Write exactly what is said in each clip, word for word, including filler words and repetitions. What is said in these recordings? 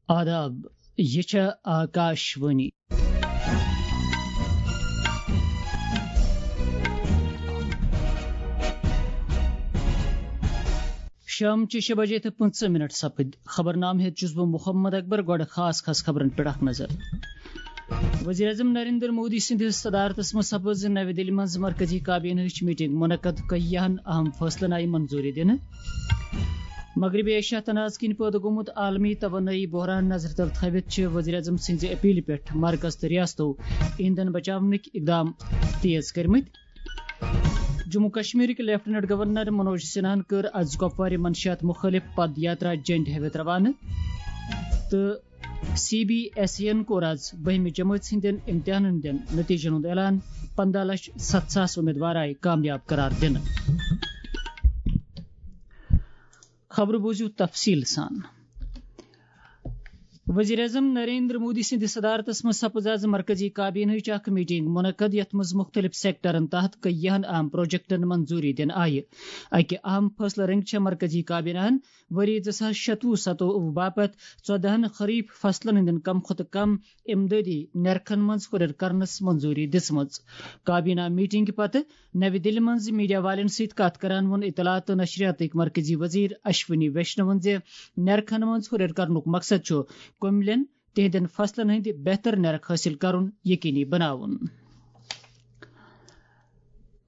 آداب، یہِ چھےٚ آکاش وانی۔ شام چہِ شےٚ بجے تہٕ پٕنٛژٕہ منٹ سپٕدۍ۔ خبرنامہٕ ہیٚتھ چھُس بہٕ محمد اکبر۔ گۄڈٕ خاص خاص خبرن پٮ۪ٹھ اکھ نظر۔ وزیر اعظم نریندر مودی سٕنٛدِس صدارتس منٛز سپٕز نَوِ دِلہِ منٛز مرکزی کابینہٕچ میٹنگ منعقد، کینٛہَن اہم فٲصلن آیہِ منظوٗری دِنہٕ۔ مغربی ایشیا تنازٕ کِنۍ پٲدٕ گوٚمُت عالمی توانٲیی بحران نظرِ تل تھٲوِتھ چھِ وزیر اعظم سٕنٛزِ اپیلہِ پٮ۪ٹھ مرکز تہٕ ریاستو ایندھن بچاونٕکۍ اقدام تیز کٔرمٕتۍ۔ جموں کشمیرٕکۍ لیفٹیننٹ گورنر منوج سنہاہن کٔر از کپوارِ منشیات مُخٲلف پد یاترا جنڈِ ہٲوِتھ روانہٕ تہٕ سی بی ایس ای یَن کوٚر از بٔہمہِ جمٲژ ہٕنٛدٮ۪ن امتحانن ہٕنٛدٮ۪ن نتیجن ہُنٛد اعلان۔ پنٛداہ لچھ ستھ ساس امیدوار آیہِ کامیاب قرار دِنہٕ۔ خبرٕ بوٗزِو تفصیٖل سان۔ وزیر اعظم نریندر مودی سٕنٛدِ صدارتس منٛز سپٕز از مرکزی کابینہٕچ اکھ میٹنگ منعقد، یتھ منٛز مُختٔلِف سیکٹرن تحت کینٛہَن اہم پروجیکٹن منظوٗری دِنہٕ آیہِ۔ اکہِ اہم فٲصلہٕ رنگہِ چھےٚ مرکزی کابینہن ؤری زٕ ساس شتوُہ ستووُہ باپتھ ژۄدہَن خریف فصلن ہٕنٛدٮ۪ن کم کھۄتہٕ کم امدادی نرخن منٛز ہُرٮ۪ر کرنس منظوٗری دِژمٕژ۔ کابینہ میٹنگہِ پتہٕ نَوِ دِلہِ منٛز میڈیا والٮ۪ن سۭتۍ کَتھ کران ووٚن اطلاعات تہٕ نشریاتٕکۍ مرکزی وزیر اشونی ویشنون زِ نرخن منٛز ہُرٮ۪ر کرنُک مقصد چھُ کٔمِلٮ۪ن تِہنٛدٮ۪ن فصلن ہٕنٛدِ بہتر نرخ حٲصِل کرُن یقینی بناوُن۔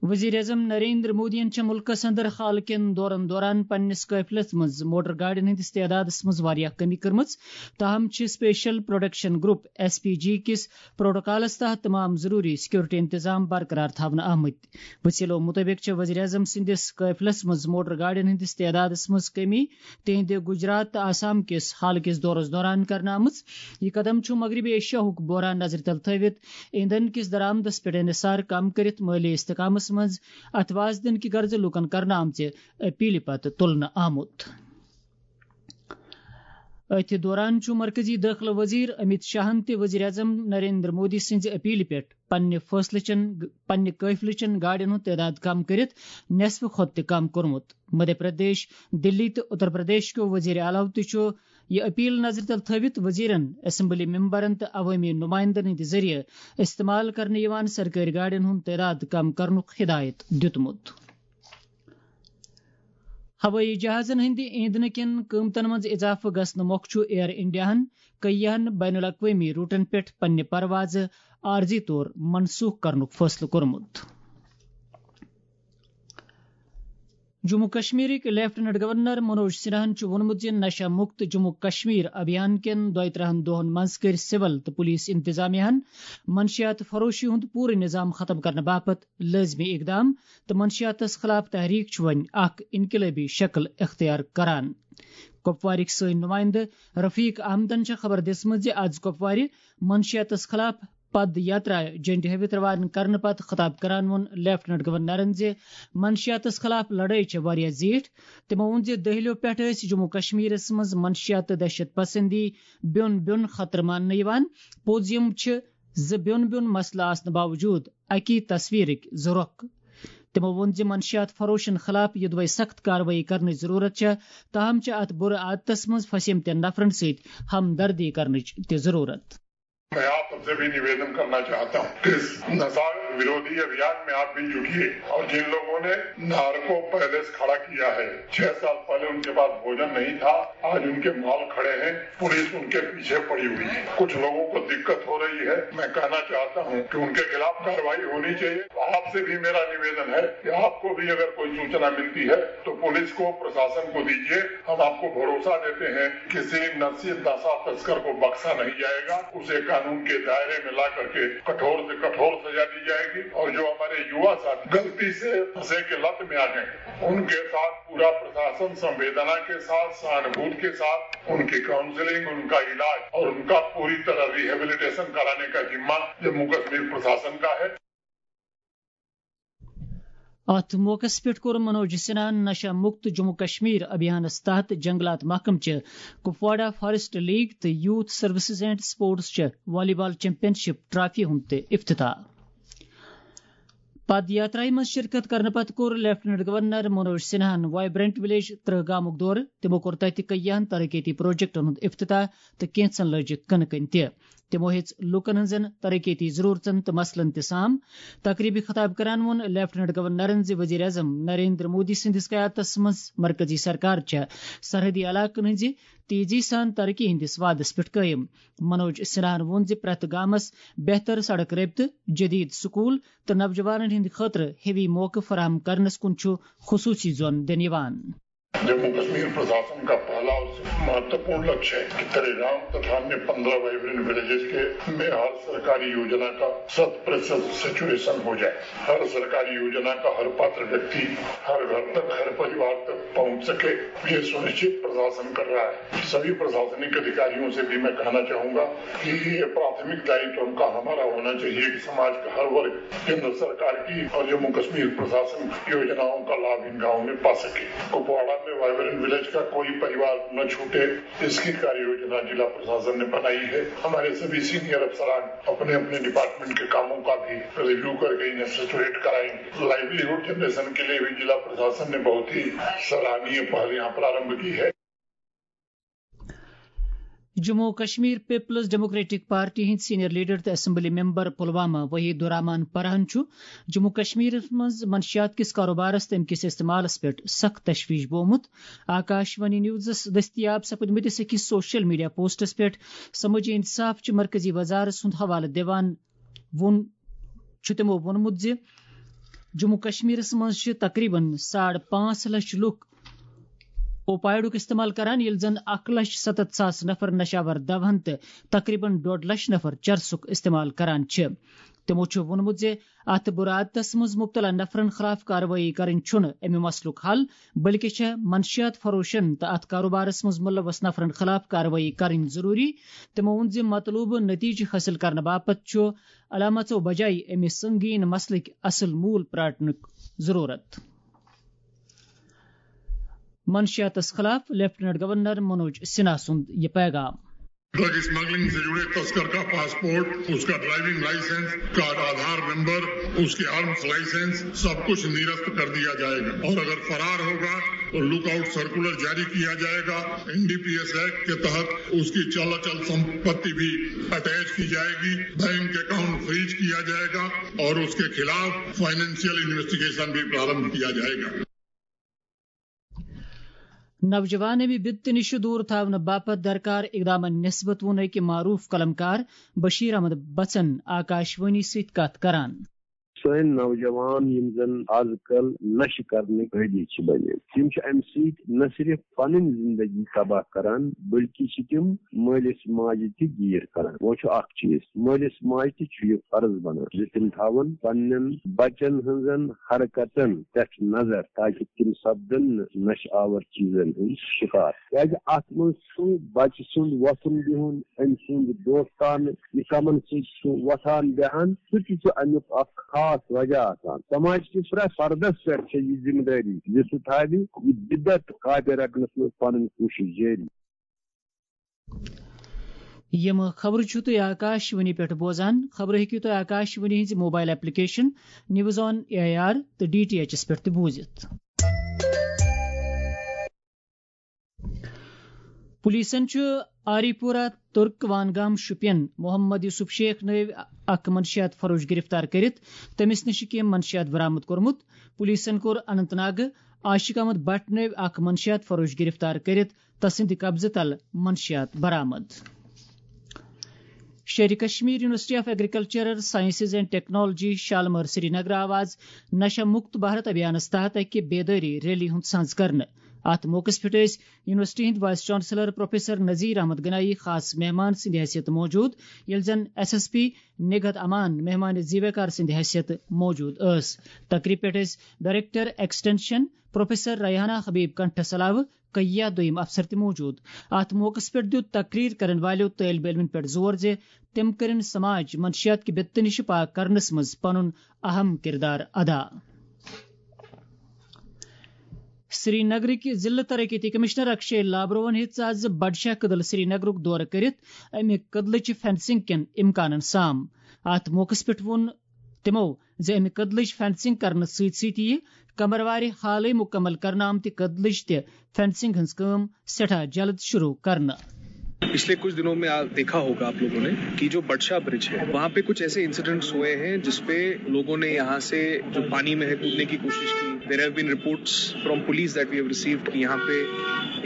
وزیر اعظم نریندر مودیَن چھےٚ مُلکَس اندر حال کٮ۪ن دورن دوران پننِس قٲفلَس منٛز موٹر گاڑٮ۪ن ہٕنٛدِس تعدادَس منٛز واریاہ کمی کٔرمٕژ، تاہم چھِ special production group, S P G, کِس پروٹوکالَس تحت تمام ضروٗری سیکورٹی انتظام برقرار تھاونہٕ آمٕتۍ۔ وسیلو مُطٲبِق چھےٚ وزیر اعظم سٕنٛدِس قٲفلَس منٛز موٹر گاڑٮ۪ن ہٕنٛدِس تعدادَس منٛز کمی تِہنٛدِ گجرات تہٕ آسام کِس حال کِس دورَس دوران کرنہٕ آمٕژ۔ یہِ قدم چھُ مغربی ایشیاہُک بحران نظرِ تل تھٲوِتھ ایندھن کِس درآمدَس پٮ۪ٹھ انحصار کم کٔرِتھ مٲلی استحکامَس منٛز اتھواز دِنہٕ کہِ غرضہٕ لوٗکَن کرنہٕ آمژِ اپیلہِ پتہٕ تُلنہٕ آمُت۔ أتھۍ دوران چھُ مرکزی دٲخلہٕ وزیر امیت شاہن تہِ وزیر اعظم نریندر مودی سٕنٛزِ اپیلہِ پٮ۪ٹھ پننہِ فٲصلہٕ چٮ۪ن، پننہِ قٲفلہٕ چٮ۪ن گاڑٮ۪ن ہُنٛد تعداد کم کٔرِتھ نصفہٕ کھۄتہٕ تہِ کم کوٚرمُت۔ مدھیہ پردیش، دِلی تہٕ اُتر پردیش کیو وزیر اعلیٰ تہِ چھُ یہِ اپیل نظرِ تل تھٲوِتھ وزیرن، اسمبلی ممبرن تہٕ عوٲمی نمائندن ہٕنٛدِ ذٔریعہٕ استعمال کرنہٕ یِوان سرکٲرۍ گاڑٮ۪ن ہُنٛد تعداد کم کرنُک ہدایت دِیُتمُت۔ ہوٲیی جہازن ہٕنٛدِ ایندھنہٕ کٮ۪ن قۭمتن منٛز اضافہٕ گژھنہٕ مۄکھٕ چھُ ایئر انڈیاہن کینٛہَن بین الاقوٲمی روٹن پٮ۪ٹھ پننہِ پروازٕ عارضی طور منسوخ کرنُک فٲصلہٕ کوٚرمُت۔ جموں کشمیرٕکۍ لیفٹیننٹ گورنر منوج سنہاہن چھُ ووٚنمُت زِ نشہ مکت جموں کشمیر ابھیان کٮ۪ن دۄیہِ ترٕٛہَن دۄہَن منٛز کٔرۍ سول تہٕ پولیس انتظامیہ ہَن منشیات فروشی ہُنٛد پوٗرٕ نظام ختم کرنہٕ باپتھ لٲزمی اقدام تہٕ منشیاتس خلاف تحریک چھُ وۄنۍ اکھ انقلٲبی شکل اختیار کران۔ کپوارٕکۍ سٲنۍ نمائندٕ رفیق احمدن چھےٚ خبر دِژمٕژ زِ از کپوارِ منشیاتس خلاف پد یاترا جنڈِ ہٲوِتھ روانہٕ کرنہٕ پتہٕ خطاب کران ووٚن لیفٹیننٹ گورنرن زِ منشیاتس خلاف لڑٲے چھےٚ واریاہ زیٖٹھ۔ تِمو ووٚن زِ دٔہلِیو پٮ۪ٹھ ٲسۍ جموں کشمیرس منٛز منشیات تہٕ دہشت پسندی بیوٚن بیوٚن خطرٕ ماننہٕ یِوان۔ پوٚز یِم چھِ زٕ بیوٚن بیوٚن مسلہٕ آسنہٕ باوجوٗد اکی تصویرٕکۍ زٕ رۄخ۔ تِمو ووٚن زِ منشیات فروشن خلاف یوٚدوے سخت کاروٲیی کرنٕچ ضروٗرت چھےٚ، تاہم چھِ اتھ بُرٕ عادتس منٛز پھسیمتٮ۪ن نفرن سۭتۍ ہمدردی کرنٕچ تہِ ضروٗرت۔ میں آپ سب سے بھی نویدن کرنا چاہتا ہوں کہ اس نشہ ورودھی ابھیان میں آپ بھی جٹیے اور جن لوگوں نے نارکو پیلیس کھڑا کیا ہے، چھ سال پہلے ان کے پاس بھوجن نہیں تھا، آج ان کے مال کھڑے ہیں، پولیس ان کے پیچھے پڑی ہوئی ہے، کچھ لوگوں کو دقت ہو رہی ہے۔ میں کہنا چاہتا ہوں کہ ان کے خلاف کارروائی ہونی چاہیے۔ آپ سے بھی میرا نویدن ہے کہ آپ کو بھی اگر کوئی سوچنا ملتی ہے تو پولیس کو، پرشاسن کو دیجیے۔ ہم آپ کو بھروسہ دیتے ہیں، کسی نشہ، نشہ تسکر کو بخشا نہیں جائے گا، اسے قانون کے دائرے میں لا کر کے کٹھور سے کٹھور سزا دی جائے گی۔ اور جو ہمارے یوا ساتھی غلطی سے نشے کے لت میں آ گئے، ان کے ساتھ پورا پرشاسن سنویدنا کے ساتھ، سہانبھوت کے ساتھ ان کی کاؤنسلنگ، ان کا علاج اور ان کا پوری طرح ریہیبلیٹیشن کرانے کا ذمہ جموں کشمیر پرشاسن کا ہے۔ اتھ موقعس پٮ۪ٹھ کوٚر منوج سنہاہن نشہ مکت جموں کشمیر ابھیانس تحت جنگلات محکمہٕ چہِ کپواڑہ فارسٹ لیگ تہٕ یوتھ سروسز اینڈ سپورٹس چہِ والی بال چیمپین شپ ٹرافی ہُنٛد تہِ افتتاح۔ پد یاترایہِ منٛز شرکت کرنہٕ پتہٕ کوٚر لیفٹیننٹ گورنر منوج سنہاہن وائبرنٹ ولیج ترہ گامُک دورٕ۔ تِمو کوٚر تتہِ کیاہن ترقیتی پروجیکٹن ہُنٛد افتتاح تہٕ کینٛژن لٲجِکھ کٕنہٕ کٔنۍ تہِ۔ تِمو ہیٚژ لوٗکن ہٕنٛزن ترقیتی ضروٗرتن تہٕ مسلن تہِ سام۔ تقریبہِ خطاب کران ووٚن لیفٹیننٹ گورنرن زِ وزیر اعظم نریندر مودی سٕنٛدِس قیادتس منٛز مرکزی سرکار چھےٚ سرحدی علاقن ہٕنٛزِ تیزی سان ترقی ہٕنٛدِس وعدس پٮ۪ٹھ قٲیِم۔ منوج سنہاہن ووٚن زِ پرٛٮ۪تھ گامس بہتر سڑک رٲبطہٕ، جدید سکول تہٕ نوجوانن ہٕنٛدِ خٲطرٕ ہیوی موقعہٕ فراہم کرنس کُن چھُ خصوٗصی زون دِنہٕ یِوان۔ जम्मू कश्मीर प्रशासन का पहला और महत्वपूर्ण लक्ष्य है कि तेरे राम तथा अन्य पन्द्रह वाइब्रेंट विलेजेस के में हर सरकारी योजना का शत प्रतिशत सैचुरेशन हो जाए, हर सरकारी योजना का हर पात्र व्यक्ति, हर घर तक, हर परिवार तक पहुंच सके, ये सुनिश्चित प्रशासन कर रहा है। सभी प्रशासनिक अधिकारियों से भी मैं कहना चाहूंगा कि ये प्राथमिक दायित्व उनका हमारा होना चाहिए कि समाज का हर वर्ग केंद्र सरकार की और जम्मू कश्मीर प्रशासन की योजनाओं का लाभ इन गांवों में पा सके। कुपवाड़ा में वाइब्रेंट विलेज का कोई परिवार न छूटे, इसकी कार्य योजना जिला प्रशासन ने बनाई है। हमारे सभी सीनियर अफसरान अपने अपने डिपार्टमेंट के कामों का भी रिव्यू करके इन्हें सैचुरेट कराएंगे। लाइवलीहुड जनरेशन के लिए भी जिला प्रशासन ने बहुत ही सराहनीय पहल यहाँ प्रारंभ की है। جموں و کشمیر پیپلز ڈیموکریٹک پارٹی ہٕنٛدۍ سینئر لیڈر تہٕ اسمبلی ممبر پلوامہ وحید الرحمان پرہن چھُ جموں و کشمیرس منٛز منشیات کِس کاروبارس تہٕ اَمہِ کِس استعمالس پٮ۪ٹھ سخت تشویش بومُت۔ آکاش وانی نیوزس دٔستیاب سپٕدمٕتِس أکِس سوشل میڈیا پوسٹس پٮ۪ٹھ سمٲجی انصاف چہِ مرکزی وزارت سُنٛد حوالہٕ دِوان ووٚن، چھُ تِمو ووٚنمُت زِ جموں کشمیرس منٛز چھِ تقریباً ساڑ پانٛژھ لچھ لُکھ اوپائیڈُک استعمال کران، ییٚلہِ زن اکھ لچھ ستتھ ساس نفر نشہٕ آور دوہن تہٕ تقریباً ڈوڈ لچھ نفر چرسُک استعمال کران چھِ۔ تِمو چھُ ووٚنمُت زِ اتھ بُرٕ عادتس منٛز مبتلا نفرن خلاف کاروٲیی کرٕنۍ چھُنہٕ امہِ مسلُک حل، بلکہِ چھےٚ منشیات فروشن تہٕ اتھ کاروبارس منٛز ملوث نفرن خلاف کاروٲیی کرٕنۍ ضروٗری۔ تِمو ووٚن زِ مطلوبہٕ نتیجہٕ حٲصِل کرنہٕ باپتھ چھُ علامژو بجایہِ امہِ سنگین مسلٕکۍ اصل موٗل پراٹنُک ضروٗرت۔ منشیاتس خلاف لیفٹیننٹ گورنر منوج سنہا سُنٛد یہِ پیغام۔ ड्रग स्मगलिंग से जुड़े तस्कर का पासपोर्ट, उसका ड्राइविंग लाइसेंस, उसका आधार नंबर, उसके आर्म्स लाइसेंस, सब कुछ निरस्त कर दिया जाएगा। और अगर फरार होगा तो लुकआउट सर्कुलर जारी किया जाएगा। एनडीपीएस एक्ट के तहत उसकी चल अचल संपत्ति भी अटैच की जाएगी, बैंक अकाउंट फ्रीज किया जाएगा और उसके खिलाफ फाइनेंशियल इन्वेस्टिगेशन भी प्रारंभ किया जाएगा। نوجوان امہِ بدتہٕ نِش دوٗر تھاونہٕ باپتھ درکار اقدامن نسبت ووٚن أکۍ معروٗف قلمکار بشیر احمد بچن آکاش وانی سۭتۍ کتھ کران۔ سٲنۍ نوجوان یِم زن از کل نشہٕ کرنٕکۍ عٲدی چھِ بنیمٕتۍ، تِم چھِ امہِ سۭتۍ نہ صرف پنٕنۍ زندگی تباہ کران، بلکہِ چھِ تِم مٲلِس ماجہِ تہِ گیٖر کران۔ وۄنۍ چھُ اکھ چیٖز، مٲلِس ماجہِ تہِ چھُ یہِ فرض بنان زِ تِم تھاوَن پننٮ۪ن بچن ہٕنٛزن حرکتن پٮ۪ٹھ نظر، تاکہِ تِم سپدن نہٕ نشہٕ آور چیٖزن ہٕنٛدۍ شکار۔ کیازِ اتھ منٛز چھُ بچہٕ سُنٛد وۄتھُن بِہُن، أمۍ سُنٛد دوستانہٕ یہِ کمن سۭتۍ چھُ وۄتھان بیہان، سُہ تہِ چھُ امیُک اکھ خاص وجہ آسان۔ سماج کِس پرٛٮ۪تھ فردس پٮ۪ٹھ چھےٚ یہِ ذمہٕ دٲری زِ سُہ تھاوِ یہِ بدعت کاپہِ رٹنس منٛز پنٕنۍ کوٗشش جٲری۔ یِم خبرٕ چھِو تُہۍ آکاش وانی پٮ۪ٹھ بوزان۔ خبرٕ ہیٚکِو تُہۍ آکاش وانی ہٕنٛزِ mobile application news on A I R تہٕ ڈی ٹی ایچ پٮ۪ٹھ تہِ بوٗزِتھ۔ پولیسن چھُ آری پورہ ترک وانگام شوپین محمد یوسف شیخ نٲوۍ اکھ منشیات فروش گرفتار کٔرِتھ تٔمِس نِش کینٛہہ منشیات برآمد کوٚرمُت۔ پولیسن کوٚر اننت ناگہٕ عاشق احمد بٹ نٲوۍ اکھ منشیات فروش گرفتار کٔرِتھ تسٕنٛدِ قبضہٕ تل منشیات برآمد۔ Sher-e-Kashmir university of agricultural sciences and technology Shalimar Srinagar آو آز نشہ مکت بھارت ابھیانس تحت اکہِ بیدٲری ریلی ہُنٛد سنز کرنہٕ۔ اتھ موقعس پٮ۪ٹھ ٲسۍ یونیورسٹی ہٕنٛدۍ vice chancellor professor Nazir Ahmad Ganai خاص مہمان سٕنٛدِ حیثیت موجود، ییٚلہِ زن ایس ایس پی نگہت امان مہمان زیویکار سٕنٛدِ حیثیت موجود ٲس۔ تقریب پٮ۪ٹھ ٲسۍ ڈائریکٹر ایکسٹینشن پروفیسر ریحانہ حبیب کنٹھس علاوٕ کیا دوٚیِم افسر تہِ موجود۔ اتھ موقعس پٮ۪ٹھ دیُت تقریر کرن والٮ۪و طٲلب علمن پٮ۪ٹھ زور زِ تِم کٔرِن سماج منشیات کہِ بِتہٕ نِش پاک کرنس منٛز پنُن اہم کردار ادا۔ سری نگرٕکۍ ضلع ترقیتی کمشنر اکشے لابروہن ہیٚژ آز بڈشاہ کدل سری نگرُک دورٕ کٔرِتھ امہِ کدلٕچہِ فینسنگ کٮ۪ن امکانن سام۔ اتھ موقعس پٮ۪ٹھ ووٚن تِمو زِ امہِ کدلٕچ فینسنگ کرنہٕ سۭتۍ سۭتۍ یِیہِ کمروارِ حالٕے مُکمل کرنہٕ آمتہِ کدلٕچ تہِ فینسنگ ہٕنٛز کٲم سٮ۪ٹھاہ جلد شروع کرنہٕ۔ पिछले कुछ दिनों में आप देखा होगा आप लोगों ने कि जो बटशा ब्रिज है, वहाँ पे कुछ ऐसे इंसिडेंट्स हुए हैं जिसपे लोगों ने यहाँ से जो पानी में है कूदने की कोशिश की। There have been reports from police that we have received कि यहाँ पे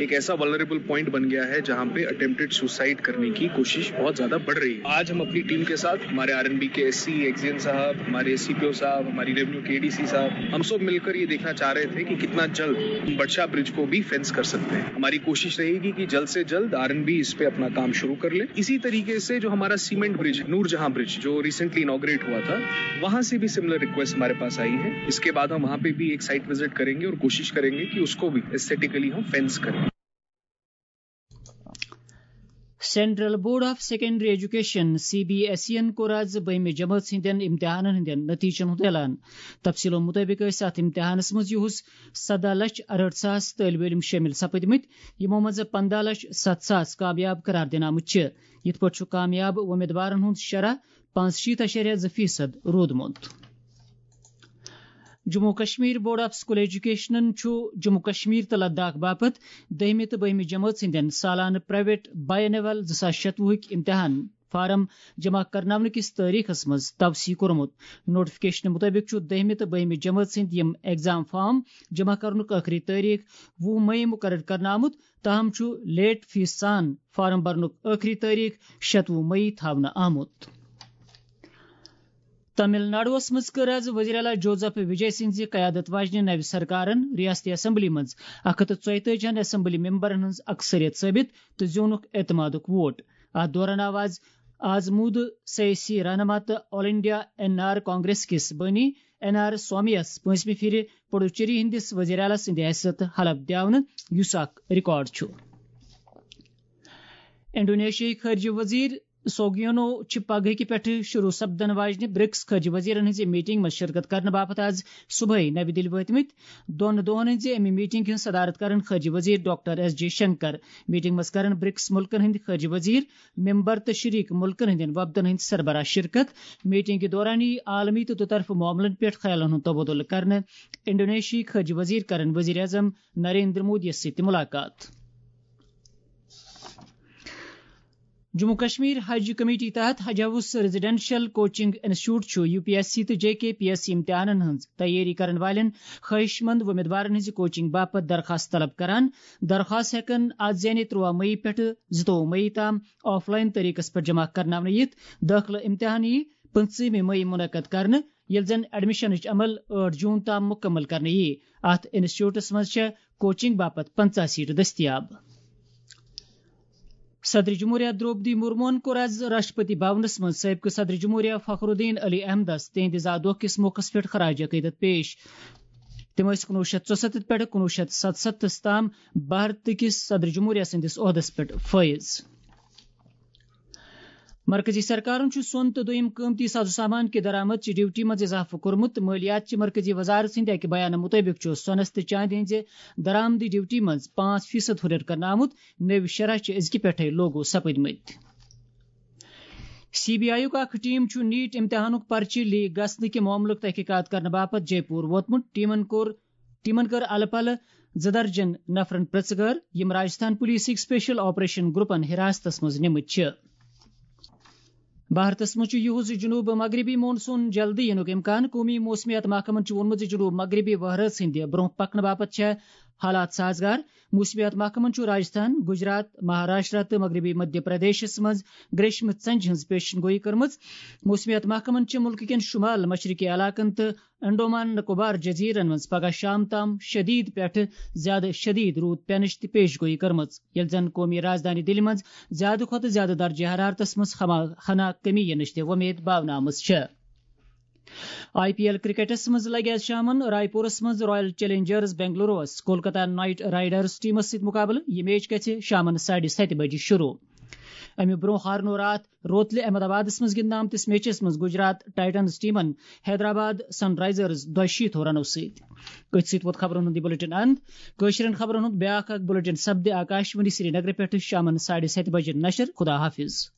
एक ऐसा वल्नरेबल पॉइंट बन गया है जहाँ पे अटेम्प्टेड सुसाइड करने की कोशिश बहुत ज्यादा बढ़ रही है। आज हम अपनी टीम के साथ, हमारे आरएनबी के एससी एक्जियन साहब, हमारे सीपीओ साहब, हमारी रेवेन्यू के एडीसी साहब, हम सब मिलकर ये देखना चाह रहे थे कि कितना जल्द बटशा ब्रिज को भी फेंस कर सकते हैं। हमारी कोशिश रहेगी कि जल्द से जल्द आरएनबी इस पे अपना काम शुरू कर ले। इसी तरीके से जो हमारा सीमेंट ब्रिज, नूरजहां ब्रिज, जो रिसेंटली इनॉग्रेट हुआ था, वहां से भी सिमिलर रिक्वेस्ट हमारे पास आई है। इसके बाद हम वहां पे भी एक साइट विजिट करेंगे और कोशिश करेंगे कि उसको भी एस्थेटिकली हम फेंस करें। Central Board of Secondary Education, C B S E یَن کوٚر آز بٔہمہِ جمٲژ ہٕنٛدٮ۪ن امتحانن ہٕنٛدٮ۪ن نتیجن ہُنٛد اعلان۔ تفصیلو مُطٲبِق ٲسۍ اتھ امتحانس منٛز یُہُس سدہ لچھ ارہٲٹھ ساس طٲلبہِ علم شٲمِل سپٕدمٕتۍ، یِمو منٛز پندہ لچھ ستھ ساس کامیاب قرار دِنہٕ آمٕتۍ چھِ۔ یِتھ پٲٹھۍ چھُ کامیاب وۄمیدوارن ہُنٛد شرح پانٛژشیٖتھ اَشاریہ زٕ فیصد روٗدمُت۔ Jammu Kashmir board of school ایجوکیشنن چھُ جموں کشمیر تہٕ لداخ باپتھ دٔہمہِ تہٕ بٔہمہِ جمٲژ ہٕنٛدٮ۪ن سالانہٕ پرائیویٹ بائی اینول زٕ ساس شتوُہٕکۍ امتحان فارم جمع کرناونہٕ کِس تٲریخس منٛز توسیع کوٚرمُت۔ نوٹیفکیشن مُطٲبِق چھُ دٔہمہِ تہٕ بٔہمہِ جمٲژ ہٕنٛدۍ یِم ایگزام فارم جمع کرنُک ٲخری تٲریخ وُہ مئی مُقرر کرنہٕ آمُت۔ تاہم چھُ لیٹ فیس سان فارم بھرنُک ٲخری تٲریخ شتوُہ مئی تھاونہٕ آمُت۔ تمل ناڈوَس منٛز کٔر آز وزیر اعلیٰ جوزف وجے سٕنٛزِ قیادت واجنہِ نوِ سرکارن ریاستی اسمبلی منٛز اکھ ہتھ تہٕ ژۄیتٲجی ہن اسمبلی ممبرن ہٕنٛز اکثریت ثٲبت تہٕ زیوٗنُکھ اعتمادُک ووٹ۔ اتھ دوران آو آز آزمودٕ سیٲسی رہنما تہٕ آل انڈیا این آر کانگریس کِس بٲنی این آر سوامی یَس پٲنٛژمہِ پھِرِ پڈوچیری ہٕنٛدِس وزیر اعلیٰ سٕنٛدِ حیثیت حلف دِیاونہٕ، یُس اکھ ریکارڈ چھُ۔ انڈونیشیاہٕکۍ خارجہ وزیر سوگیونو چھِ پگہٕکہِ پٮ۪ٹھٕ شروع سپدن واجنہِ برکس خارجہ وزیرن ہٕنٛزِ میٹنگ منٛز شرکت کرنہٕ باپتھ آز صبحٲے نوِ دِلہِ وٲتمٕتۍ۔ دۄن دۄہن ہٕنٛزِ اَمہِ میٹنگ ہٕنٛز صدارت کرن خارجہ وزیر doctor S J Shankar. Meeting منٛز کرن برکس مُلکن ہٕنٛدۍ خارجہ وزیر، ممبر تہٕ شریک مُلکن ہٕنٛدٮ۪ن وفدن ہٕنٛدۍ سربراہ شرکت۔ میٹنگ کہِ دوران یِیہِ عالمی تہٕ دُطرفہٕ معاملن پٮ۪ٹھ خیالن ہُنٛد تبادلہٕ کرنہٕ۔ انڈونیشیاہٕکۍ خارجہ وزیر کرن وزیر اعظم نریندر مودی یَس سۭتۍ تہِ ملاقات۔ جموں کشمیر حج کمیٹی تحت حج ہاؤس ریزیڈنشل کوچنگ انسٹیٹیوٹ چھُ یو پی ایس سی تہٕ جے کے پی ایس سی امتحانن ہٕنٛز تیٲری کرن والٮ۪ن خواہش مند وۄمیدوارن ہٕنٛزِ کوچنگ باپتھ درخواست طلب کران۔ درخواست ہٮ۪کن از یعنی ترٛواہ مئی پٮ۪ٹھٕ زٕتووُہ مئی تام آف لائن طریقس پٮ۪ٹھ جمع کرناونہٕ یِتھ۔ دٲخلہٕ امتحان یِیہِ پٕنٛژٕہمہِ مئی منعقد کرنہٕ، ییٚلہِ زن ایڈمشنٕچ عمل ٲٹھ جون تام مُکمل کرنہٕ یِیہِ۔ اتھ انسٹیٹیوٹس منٛز چھےٚ کوچنگ باپتھ پنٛژاہ سیٹہٕ دٔستیاب۔ صدر جمہوریہ درٛوپدی مرموہن کوٚر آز راشٹرپتی بھونس منٛز سٲبقہٕ صدر جمہوریہ فخر الدین علی احمدس تِہنٛدِ زا دۄہ کِس موقعس پٮ۪ٹھ خراج عقیدت پیش۔ تِم ٲسۍ کُنوُہ شیٚتھ ژُسَتتھ پٮ۪ٹھٕ کُنوُہ شیٚتھ ستستھس تام بھارت کِس صدر جمہوریہ سٕنٛدِس عہدس پٮ۪ٹھ فٲیض۔ مرکزی سرکارن چھُ سۄن تہٕ دوٚیِم قۭمتی ساز و سامان کہِ درآمد چہِ ڈیوٹی منٛز اضافہٕ کوٚرمُت۔ مٲلیات چہِ مرکزی وزارت سٕنٛدِ اَکہِ بیانہٕ مُطٲبِق چھُ سۄنس تہٕ چاندِ ہٕنٛزِ درآمدی ڈیوٹی منٛز پانٛژھ فیصد ہُرٮ۪ر کرنہٕ آمُت۔ نٔوۍ شرح چھِ أزکہِ پٮ۪ٹھَے لاگو سپٕدمٕتۍ۔ سی بی آئی یُک اکھ ٹیم چھُ نیٹ امتحانُک پرچہِ لیک گژھنہٕ کہِ معاملُک تحقیقات کرنہٕ باپتھ جے پور ووتمُت۔ ٹیمن کوٚر، ٹیمن کٔر الہٕ پلہٕ زٕ درجن نفرن پرژھگٲر، یِم راجستھان پولیسٕکۍ سپیشل آپریشن گروپن حراستس منٛز نِمٕتۍ چھِ۔ بھارتس منٛز چھُ یُہُس جنوب مغربی مون سون جلدی یِنُک امکان۔ قومی موسمیات محکمن چھُ ووٚنمُت زِ جنوب مغربی وہرٲژ ہٕنٛدِ برونٛہہ پکنہٕ باپتھ چھےٚ حالات سازگار۔ موسمیات محکمن چھُ راجستھان، گجرات، مہاراشٹرا تہٕ مغربی مدھیہ پردیشس منٛز گریشمہٕ ژنجہِ ہٕنٛز پیشن گویی کٔرمٕژ۔ موسمیات محکمن چھِ مُلکہٕ کٮ۪ن شمال مشرقی علاقن تہٕ انڈومان نکوبار جزیرن منٛز پگہہ شام تام شدید پٮ۪ٹھٕ زیادٕ شدید روٗد پینٕچ تہِ پیش گویی کٔرمٕژ، ییٚلہِ زن قومی راجدھانی دِلہِ منٛز زیادٕ کھۄتہٕ زیادٕ درجہ حرارتس منٛز ہما ہنا کمی یِنٕچ تہِ وۄمید باونہٕ آمٕژ چھےٚ۔ آئی پی ایل کرکٹس منٛز لگہِ آز شامن رائے پورس منٛز رائل چیلنجرز بنگلوروَس کولکتہ نائٹ رائیڈرز ٹیمس سۭتۍ مقابلہٕ۔ یہِ میچ گژھِ شامن ساڑِ ستہِ بجہِ شروع۔ امہِ برونٛہہ ہارنو راتھ روتلہِ احمد آبادس منٛز گِنٛدنہٕ آمتِس میچس منٛز گجرات ٹائٹنز ٹیمن حیدرآباد سن رائزرز دۄیہِ شیٖتھ رنو سۭتۍ۔ أتھۍ سۭتۍ ووت خبرن ہُنٛد یہِ بلیٹن اند۔ کٲشرٮ۪ن خبرن ہُنٛد بیٛاکھ اکھ بلیٹن سپدِ آکاشوانی سرینگرٕ پٮ۪ٹھٕ شامن ساڑِ ستہِ بجہِ نشر۔ خدا حافظ۔